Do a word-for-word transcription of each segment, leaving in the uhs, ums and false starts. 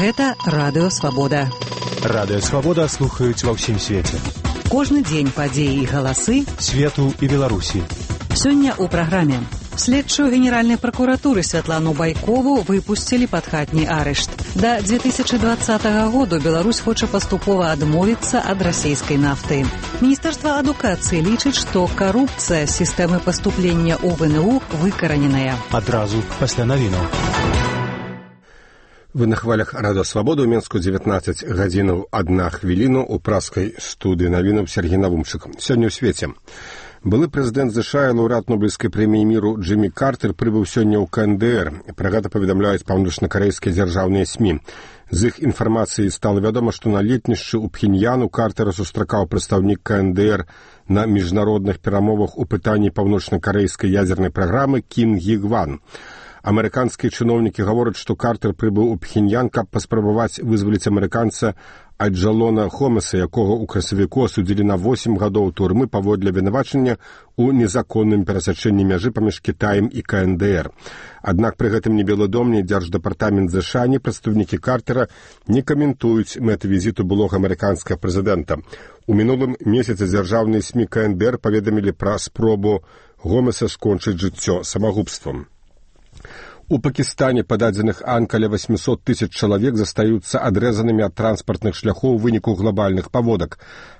Гэта Радыё Свабода. Радыё Свабода слухаюць ва ўсім свеце. Кожны дзень падзеі і галасы свету і Беларусі. Сёння ў праграме. Следчую Генеральнай пракуратуры Святлану Байкову выпусцілі пад хатні арышт. Да две тысячи двадцатага году Беларусь хоча паступова адмовіцца ад расійскай нафты. Міністэрства адукацыі лічыць, што карупцыя сістэмы паступлення ў ВНУ выкараненая. Адразу пасля навінаў. Вы на хвалях Радыё Свабода ў Менску дзевятнаццаць гадзінаў адна хвіліну ў праскай студыі навінаў Сергей Навумчык. Сёння ў свеце. Былы прэзідэнт ЗША і лаўрэат Нобелеўскай прэміі міру Джиммі Картер прыбыў сёння ў КНДР. Пра гэта паведамляюць паўночна-карэйскія дзяржаўныя СМІ. З іх інфармацыі стала вядома, што на летнішчы ў Пхеньяну Картера сустракаў прадстаўнік КНДР на міжнародных перамовах у пытанні паўночна-карэйскай ядзернай праграмы Кім Гі Гван. Амерыканскія чыноўнікі гавораць, што Картер прыбыў у Пхеньян, каб паспрабаваць вызваліць амерыканца Аджалона Хомеса, якога ў красавіку асудзілі на восем гадоў турмы паводле вінавачання ў незаконным перасячэнні мяжы паміж Кітаем і КНДР. Аднак пры гэтым ні Белы дом, ні дзярждэпартамент ЗША, ні прадстаўнікі Картера не каментуюць мэты візіту былога амерыканскага прэзідэнта. У мінулым месяцы дзяржаўныя СМІ КНДР паведамілі пра спробу Гомеса скончыць жыццё самагубствам. У Пакістане па дадзеных АН каля восемьсот тысяч чалавек застаюцца адрэзанымі ад транспартных шляхоў у выніку глобальных паводак.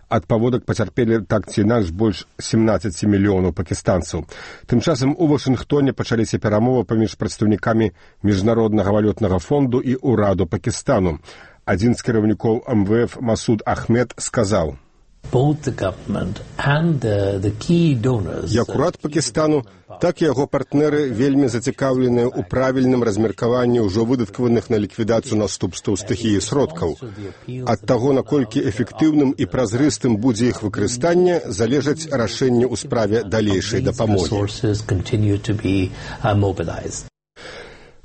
Ад паводак пацярпелі так ці інакш больш семнаццаць мільёнаў пакістанцаў. Тым часам у Вашынгтоне пачаліся перамовы паміж прадстаўнікамі Міжнароднага валютнага фонду і ўраду Пакістану. Адзін з кіраўнікоў эм вэ эф Масуд Ахмед сказаў: Як урад Пакістану, так і яго партнеры вельмі зацікаўленыя ў правільным размеркаванні ўжо выдаткаваных на ліквідацыю наступстваў стыхіі сродкаў. Ад таго, наколькі эфектыўным і празрыстым будзе іх выкарыстанне, залежаць рашэнне ў справе далейшай дапамогі.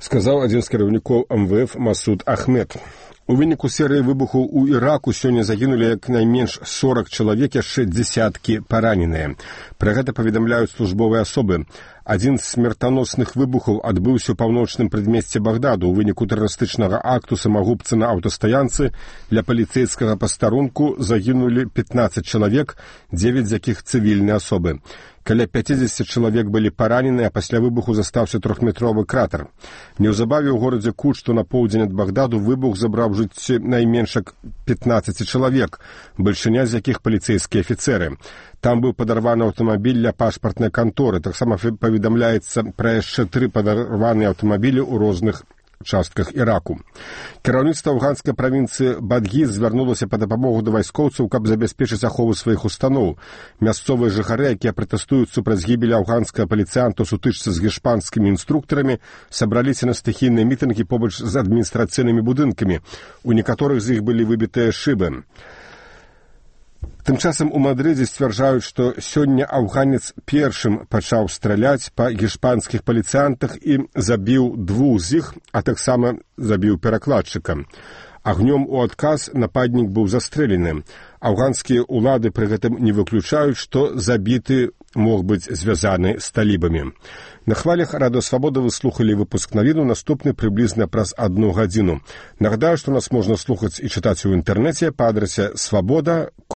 Сказаў адзін з кіраўнікоў эм вэ эф Масуд Ахмед. У выніку серыі выбухаў у Іраку сёння загінулі як найменш сорок чалавек, яшчэ дзесяткі параненыя. Пра гэта паведамляюць службовыя асобы. Адзін з смертаносных выбухаў адбыўся ў паўночным прадмесці Багдаду. У выніку тэрарыстычнага акту самагубцы на аўтастаянцы для паліцэйскага пастарунку загінулі пятнаццаць чалавек, дзевяць з якіх цывільныя асобы. Каля пяцьдзесят чалавек былі паранены, а пасля выбуху застаўся трохметровы кратар. Неўзабаве ў горадзе Кут, што на поўдзень ад Багдаду, выбух забраў жыцці найменш пятнаццаці чалавек, бальшыня з якіх паліцэйскія афіцэры. Там быў падарваны аўтамабіль для пашпартнай канторы. Таксама паведамляецца пра яшчэ тры падарваныя аўтамабілі ў розных частках Іраку. Кіраўніцтва афганскай правінцыі Бадгіз звярнулася па дапамогу да вайскоўцаў, каб забяспечыць ахову сваіх устаноў. Мясцовыя жыхары, якія пратэстуюць супраць гібелі афганскага паліцыянта ў сутычцы з гішпанскімі інструктарамі, сабраліся на стыхійныя мітынгі побач з адміністрацыйнымі будынкамі. У некаторых з іх былі выбітыя шыбы. Тым часам у Мадрыдзе сцвярджаюць, што сёння афганец першым пачаў страляць па гішпанскіх паліцыянтах і забіў двух з іх, а таксама забіў перакладчыка. Агнём у адказ нападнік быў застрэлены. Афганскія ўлады пры гэтым не выключаюць, што забіты мог быць звязаны з талібамі. На хвалях Радыё Свабода вы слухалі выпуск навіну, наступны прыблізна праз адну гадзіну. Нагадаю, што нас можна слухаць і чытаць у інтэрнэце па адрасе свабода